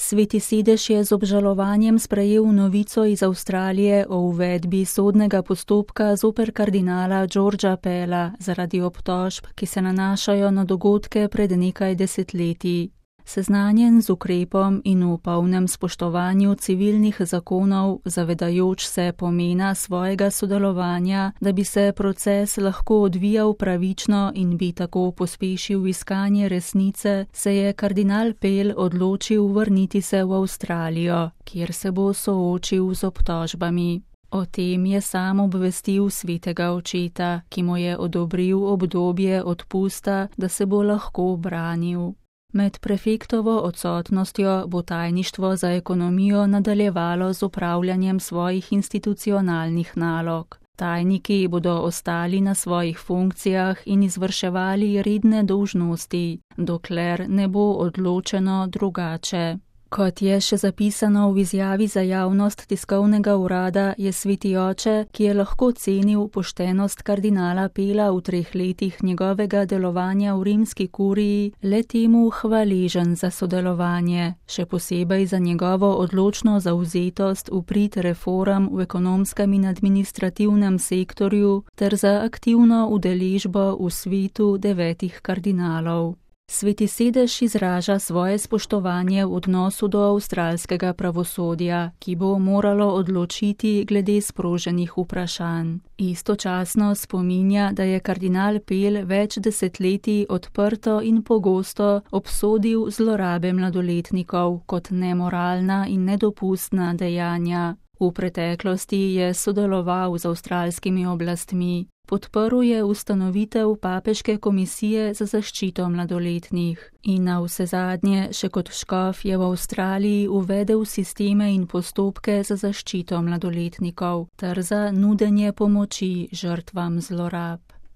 Sveti sedež je z obžalovanjem sprejel novico iz Avstralije o uvedbi sodnega postopka zoper kardinala Georgea Pella zaradi obtožb, ki se nanašajo na dogodke pred nekaj desetletji. Seznanjen z ukrepom in v polnem spoštovanju civilnih zakonov, zavedajoč se pomena svojega sodelovanja, da bi se proces lahko odvijal pravično in bi tako pospešil iskanje resnice, se je kardinal Pell odločil vrniti se v Avstralijo, kjer se bo soočil z obtožbami. O tem je sam obvestil svetega očeta, ki mu je odobril obdobje odpusta, da se bo lahko branil. Med prefektovo odsotnostjo bo tajništvo za ekonomijo nadaljevalo z opravljanjem svojih institucionalnih nalog. Tajniki bodo ostali na svojih funkcijah in izvrševali redne dolžnosti, dokler ne bo odločeno drugače. Kot je še zapisano v izjavi za javnost tiskovnega urada, je sveti oče, ki je lahko cenil poštenost kardinala Pella v 3 letih njegovega delovanja v rimski kuriji, le temu hvaležen za sodelovanje, še posebej za njegovo odločno zavzetost v prid reform v ekonomskem in administrativnem sektorju ter za aktivno udeležbo v svetu 9 kardinalov. Sveti sedež izraža svoje spoštovanje v odnosu do avstralskega pravosodja, ki bo moralo odločiti glede sproženih vprašanj. Istočasno spominja, da je kardinal Pell več desetletij odprto in pogosto obsodil zlorabe mladoletnikov kot nemoralna in nedopustna dejanja. V preteklosti je sodeloval z avstralskimi oblastmi. Podprl je ustanovitev papeške komisije za zaščito mladoletnih in navsezadnje še kot škof je v Avstraliji uvedel sisteme in postopke za zaščito mladoletnikov ter za nudenje pomoči žrtvam zlorab.